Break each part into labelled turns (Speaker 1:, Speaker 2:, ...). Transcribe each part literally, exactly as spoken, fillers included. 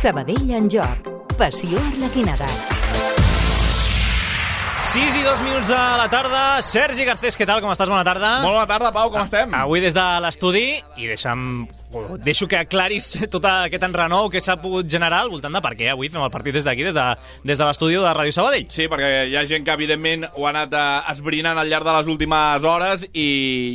Speaker 1: Sabadell en joc. Passió Arlequinada.
Speaker 2: sis i dos minuts de la tarda. Sergi Garcés, què tal? Com estàs? Bona tarda.
Speaker 3: Molt bona tarda, Pau, com estem?
Speaker 2: Avui des de l'estudi, i deixa'm... deixo que aclaris tot aquest enrenou que s'ha pogut generar al voltant de per què avui fem el partit des d'aquí, des de, des de l'estudi de Ràdio Sabadell.
Speaker 3: Sí, perquè hi ha gent que, evidentment, ho ha anat eh, esbrinant al llarg de les últimes hores i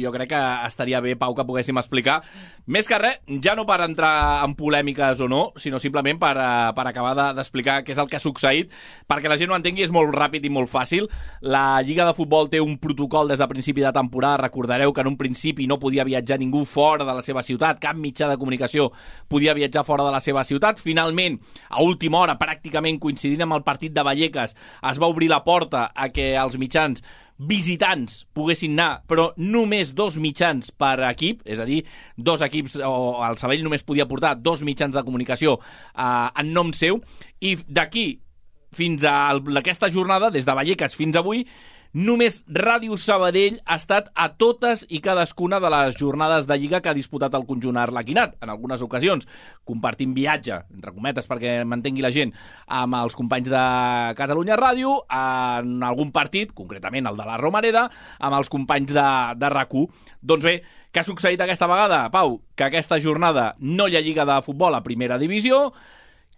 Speaker 3: jo crec que estaria bé, Pau, que poguéssim explicar. Més que res, ja no per entrar en polèmiques o no, sinó simplement per, uh, per acabar d'explicar de, què és el que ha succeït, perquè la gent ho entengui, és molt ràpid i molt fàcil. La Lliga de Futbol té un protocol des de principi de temporada. Recordareu que en un principi no podia viatjar ningú fora de la seva ciutat, cap mitjà de comunicació podia viatjar fora de la seva ciutat. Finalment, a última hora, pràcticament coincidint amb el partit de Vallecas, es va obrir la porta a que els mitjans visitants poguessin anar, però només dos mitjans per equip, és a dir, dos equips, o el Sabadell només podia portar dos mitjans de comunicació eh, en nom seu, i d'aquí fins a aquesta jornada, des de Vallecas fins avui, només Ràdio Sabadell ha estat a totes i cadascuna de les jornades de Lliga que ha disputat el conjunt arlequinat. En algunes ocasions compartint viatge, entre cometes perquè m'entengui la gent, amb els companys de Catalunya Ràdio, en algun partit, concretament el de la Romareda, amb els companys de, de RAC u. Doncs bé, què ha succeït aquesta vegada, Pau? Que aquesta jornada no hi ha Lliga de Futbol a primera divisió,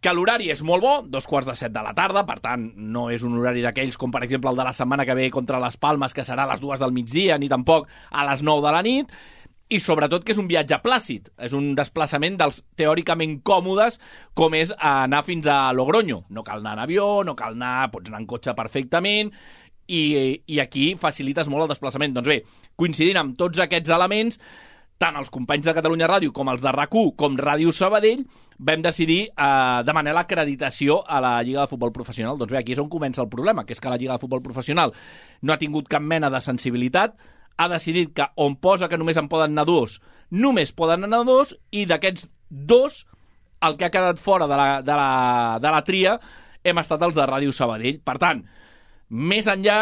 Speaker 3: que l'horari és molt bo, dos quarts de set de la tarda, per tant, no és un horari d'aquells com, per exemple, el de la setmana que ve contra les Palmes, que serà a les dues del migdia, ni tampoc a les nou de la nit, i sobretot que és un viatge plàcid, és un desplaçament dels teòricament còmodes, com és anar fins a Logroño. No cal anar en avió, no cal anar, pots anar en cotxe perfectament, i, i aquí facilites molt el desplaçament. Doncs bé, coincidint amb tots aquests elements, tant els companys de Catalunya Ràdio com els de RAC u com Ràdio Sabadell vam decidir eh, demanar l'acreditació a la Lliga de Futbol Professional. Doncs bé, aquí és on comença el problema, que és que la Lliga de Futbol Professional no ha tingut cap mena de sensibilitat, ha decidit que on posa que només en poden anar dos, només poden anar dos, i d'aquests dos, el que ha quedat fora de la, de la, de la tria hem estat els de Ràdio Sabadell. Per tant, més enllà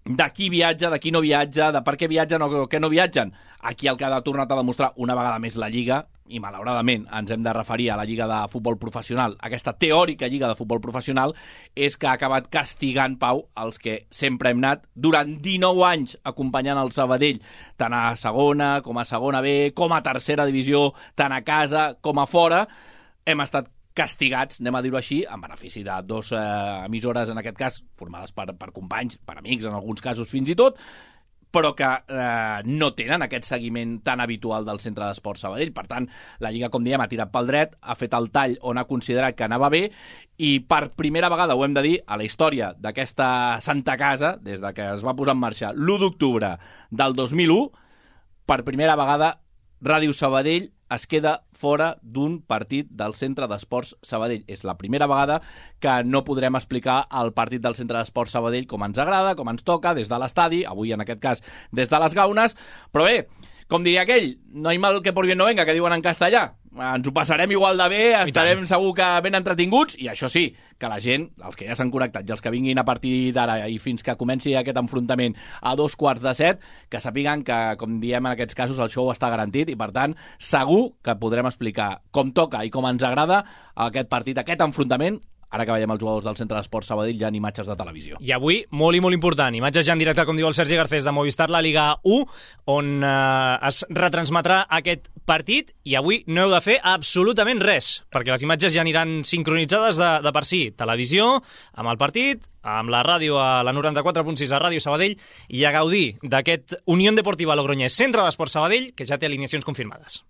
Speaker 3: de qui viatja, de qui no viatja, de per què viatgen o què no viatgen, aquí el que ha tornat a demostrar una vegada més la Lliga, i malauradament ens hem de referir a la Lliga de Futbol Professional, aquesta teòrica Lliga de Futbol Professional, és que ha acabat castigant, Pau, els que sempre hem anat durant dinou anys acompanyant el Sabadell, tant a segona com a segona B, com a tercera divisió, tant a casa com a fora. Hem estat castigats, anem a dir-ho així, en benefici de dos eh, emissores, en aquest cas, formades per, per companys, per amics, en alguns casos fins i tot, però que eh, no tenen aquest seguiment tan habitual del Centre d'Esports Sabadell. Per tant, la Lliga, com diem, ha tirat pel dret, ha fet el tall on ha considerat que anava bé, i per primera vegada, ho hem de dir, a la història d'aquesta Santa Casa, des de que es va posar en marxa l'u d'octubre del dos mil u, per primera vegada Ràdio Sabadell es queda fora d'un partit del Centre d'Esports Sabadell. És la primera vegada que no podrem explicar el partit del Centre d'Esports Sabadell com ens agrada, com ens toca, des de l'estadi, avui en aquest cas des de les Gaunes, però bé, com diria aquell, no hay mal que por bien no venga, que diuen en castellà. Ens ho passarem igual de bé, estarem segur que ben entretinguts, i això sí, que la gent, els que ja s'han connectat i els que vinguin a partir d'ara i fins que comenci aquest enfrontament a dos quarts de set, que sàpiguen que, com diem en aquests casos, el show està garantit, i per tant, segur que podrem explicar com toca i com ens agrada aquest partit, aquest enfrontament. Ara que veiem els jugadors del Centre d'Esports Sabadell, ja en imatges de televisió.
Speaker 2: I avui, molt i molt important, imatges ja en directe, com diu el Sergi Garcés, de Movistar, la Liga u, on eh, es retransmetrà aquest partit, i avui no heu de fer absolutament res, perquè les imatges ja aniran sincronitzades de, de per si. Televisió, amb el partit, amb la ràdio a la noranta-quatre punt sis a Ràdio Sabadell, i a gaudir d'aquest Unión Deportiva Logroñés Centre d'Esports Sabadell, que ja té alineacions confirmades.